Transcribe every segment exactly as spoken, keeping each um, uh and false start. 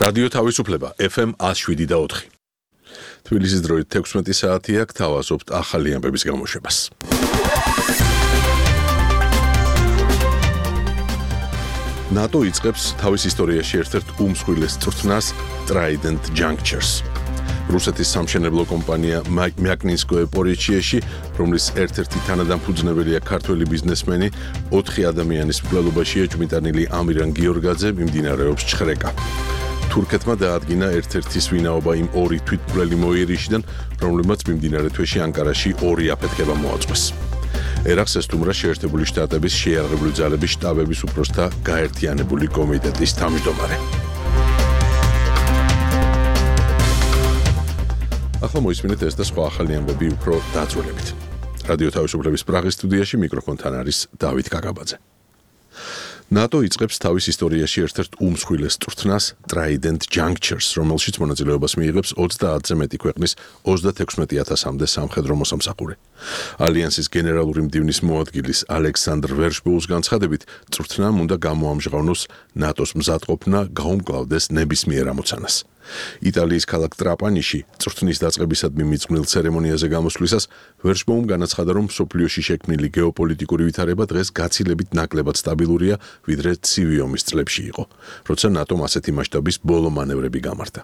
რადიო თავისუფლება F M one oh seven და ოთხი. თბილისის დროით თექვსმეტი საათია, გთავაზობთ ახალი ამბების გამოშვებას. ნატო იწყებს თავის ისტორიაში ერთ-ერთ უმსხვილეს წვრთნას Trident Junctures. რუსეთის სამშენებლო კომპანია Myagninskoye Porichieshi, რომლის ერთ-ერთი თანადამფუძნებელია ქართველი ბიზნესმენი, ოთხი ადამიანის მკვლელობაში ეჭვმიტანილი ამირან გიორგაძე მიმდინარეობს ჩხრეკა. თურქეთმა დაადგინა ერთ-ერთი სვინაობა იმ ორი თვითმკვლელი მოიერიშიდან, რომლებმაც მიმდინარე თვეში ანკარაში ორი აფეთქება მოაწყვეს. ერახს ესტუმრა შეერთებული შტატების შეიარაღებული ძალების შტაბების უფროსთა გაერთიანებული კომიტეტის თავმჯდომარე. ახლა მოისმინეთ ეს და სხვა ახალი ამბები უფრო დაწვრილებით. რადიო თავისუფლების პრაღის სტუდიაში მიკროფონთან არის დავით კაკაბაძე. ნატო იწყებს თავის ისტორიაში ერთ-ერთ უმსხვილეს წვრთნას Trident Junctures, რომელშიც მონაწილეობას მიიღებს ოცდაათზე მეტი ქვეყნის ოცდათექვსმეტი ათასამდე სამხედრო მოსამსახური. ალიანსის გენერალური მდივნის მოადგილის ალექსანდრ ვერშბოუს განცხადებით, წვრთნამ უნდა გამოამჟღავნოს ნატოს მზადყოფნა გაუმკლავდეს ნებისმიერ ამოცანას. იტალიის ქალაქ ტრაპანიში წვრთნის დაწყებისადმი მიძღვნილ ცერემონიაზე გამოსვლისას ვერშბოუმ განაცხადა, რომ მსოფლიოში შექმნილი გეოპოლიტიკური ვითარება დღეს გაცილებით ნაკლებად სტაბილურია, ვიდრე ცივი ომის წლებში იყო, როცა ნატომ ასეთი მასშტაბის ბოლო მანევრები გამართა.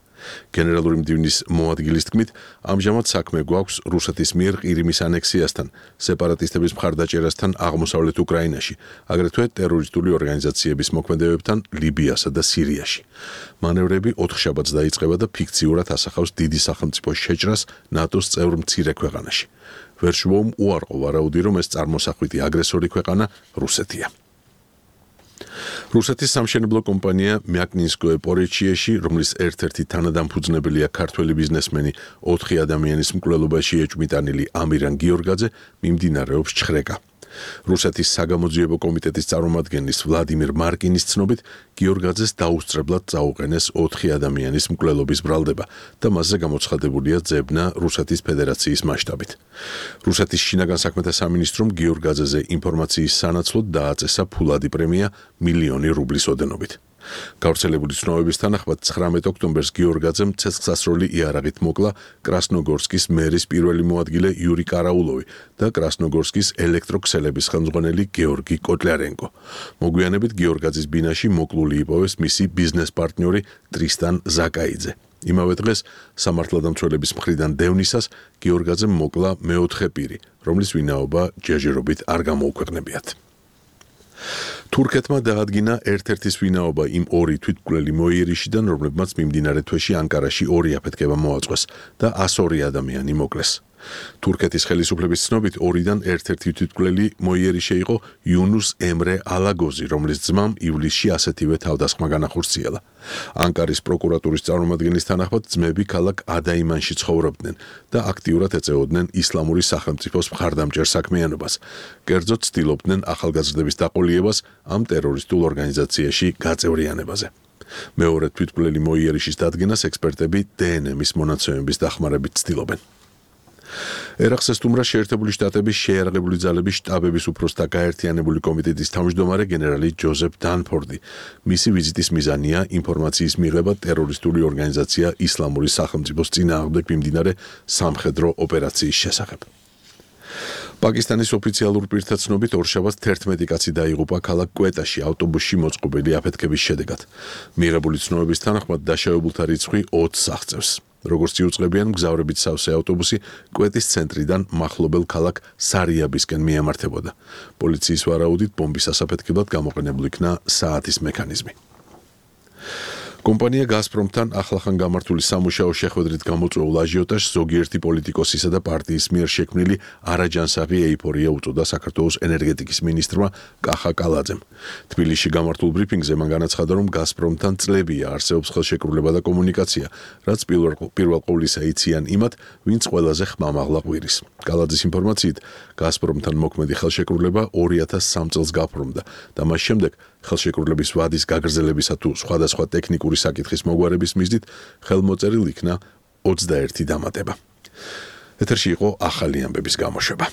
გენერალური მდივნის მოადგილის თქმით, ამჟამად საქმე გვაქვს რუსეთის მიერ ყირიმის ანექსიასთან, სეპარატისტების მხარდაჭერასთან აღმოსავლეთ უკრაინაში, აგრეთვე ტერორისტული ორგანიზაციების მოქმედებებთან ლიბიასა და სირიაში. მანევრები ოთხშაბათს დაიწყება და ფიქციურად ასახავს დიდი სახელმწიფოს შეჭრას ნატოს წევრ მცირე ქვეყანაში. ვერშბოუმ უარყო ვარაუდი, რომ ეს წარმოსახვითი აგრესორი ქვეყანა რუსეთია. რუსეთის სამშენებლო კომპანია Myagninskoye Porichieshi, რომლის ერთ-ერთი თანადამფუძნებელია ქართველი ბიზნესმენი, ოთხი ადამიანის მკვლელობაში ეჭვმიტანილი ამირან გიორგაძე, მიმდინარეობს ჩხრეკა. რუსეთის საგამოძიებო კომიტეტის წარმომადგენლის ვლადიმირ მარკინის ცნობით, გიორგაძეს დაუსწრებლად წაუყენეს ოთხი ადამიანის მკვლელობის ბრალდება და მასზე გამოცხადებულია ძებნა რუსეთის ფედერაციის მასშტაბით. რუსეთის შინაგან საქმეთა სამინისტრომ გიორგაძეზე ინფორმაციის სანაცვლოდ დააწესა ფულადი პრემია მილიონი რუბლის ოდენობით. გავრცელებული ცნობების თანახმად ცხრამეტ ოქტომბერს გიორგაძემ ცეცხლსასროლი იარაღით მოკლა კრასნოგორსკის მერის პირველი მოადგილე იური კარაულოვი და კრასნოგორსკის ელექტროქსელების ხელმძღვანელი გეორგი კოტლიარენკო. მოგვიანებით გიორგაძის ბინაში მოკლული იპოვეს მისი ბიზნეს პარტნიორი ტრისტან ზაკაიძე. იმავე დღეს სამართალდამცველების მხრიდან დევნისას გიორგაძემ მოკლა მეოთხე პირი, რომლის ვინაობა ჯერჯერობით არ გამოუქვეყნებიათ. თურქეთმა დაადგინა ერთ-ერთი სვინაობა იმ ორი თვითმკვლელი მოიერიშიდან, რომლებმაც მიმდინარე თვეში ანკარაში ორი აფეთქება მოაწყვეს და ას ორი ადამიანი მოკლეს. თურქეთის ხელისუფლების ცნობით, ორიდან ერთ-ერთი თვითმკვლელი მოიერიშე იყო იუნუს ემრე ალაგოზი, რომლის ძმამ ივლისში ასეთივე თავდასხმა განახორციელა. ანკარის პროკურატურის წარმომადგენლის თანახმად, ძმები ქალაქ ადაიმანში ცხოვრობდნენ და აქტიურად ეწეოდნენ ისლამური სახელმწიფოს მხარდამჭერ საქმიანობას. კერძოდ ცდილობდნენ ახალგაზრდების დაყოლიებას ამ ტერორისტულ ორგანიზაციაში გაწევრიანებაზე. მეორე თვითმკვლელი მოიერიშის დადგენას ექსპერტები დე ენ ემის მონაცემების დახმარებით ცდილობენ. ერახს ესტუმრა შეერთებული შტატების შეიარაღებული ძალების შტაბების უფროსთა გაერთიანებული კომიტეტის თავმჯდომარე გენერალი ჯოზეფ დანფორდი. მისი ვიზიტის მიზანია ინფორმაციის მიღება ტერორისტული ორგანიზაცია ისლამური სახელმწიფოს წინააღმდეგ მიმდინარე სამხედრო ოპერაციის შესახებ. პაკისტანის ოფიციალურ პირთა ცნობით, ორშაბათს თერთმეტი კაცი დაიღუპა ქალაქ კვეტაში ავტობუსში მოწყობილი აფეთქების შედეგად. მიღებული ცნობების თანახმად დაშავებულთა რიცხვი ოცს აღწევს. როგორც იუწყებიან, მგზავრებით სავსე ავტობუსი კვეტის ცენტრიდან მახლობელ ქალაქ სარიაბისკენ მიემართებოდა. პოლიციის ვარაუდით, ბომბის ასაფეთქებლად გამოყენებული იქნა საათის მექანიზმი. კომპანია გაზპრომთან ახლახან გამართული სამუშაო შეხვედრით გამოწვეულ აჟიოტაჟს ზოგიერთი პოლიტიკოსისა და პარტიის მიერ შექმნილი არაჯანსაღი ეიფორია უწოდა საქართველოს ენერგეტიკის მინისტრმა კახა კალაძემ. თბილისში გამართულ ბრიფინგზე მან განაცხადა, რომ გაზპრომთან წლებია არსებობს ხელშეკრულება და კომუნიკაცია, რაც პირველ ყოვლისა იციან იმათ, ვინც ყველაზე ხმამაღლა ყვირის. კალაძის ინფორმაციით, გაზპრომთან მოქმედი ხელშეკრულება ორი ათას სამ წელს გაფორმდა და მას შემდეგ ხელშეკრულების ვადის გაგრძელებისა თუ სხვადასხვა ტექნიკური საკითხის მოგვარების მიზნით ხელმოწერილ იქნა ოცდაერთი დამატება. ეთერში იყო ახალი ამბების გამოშვება.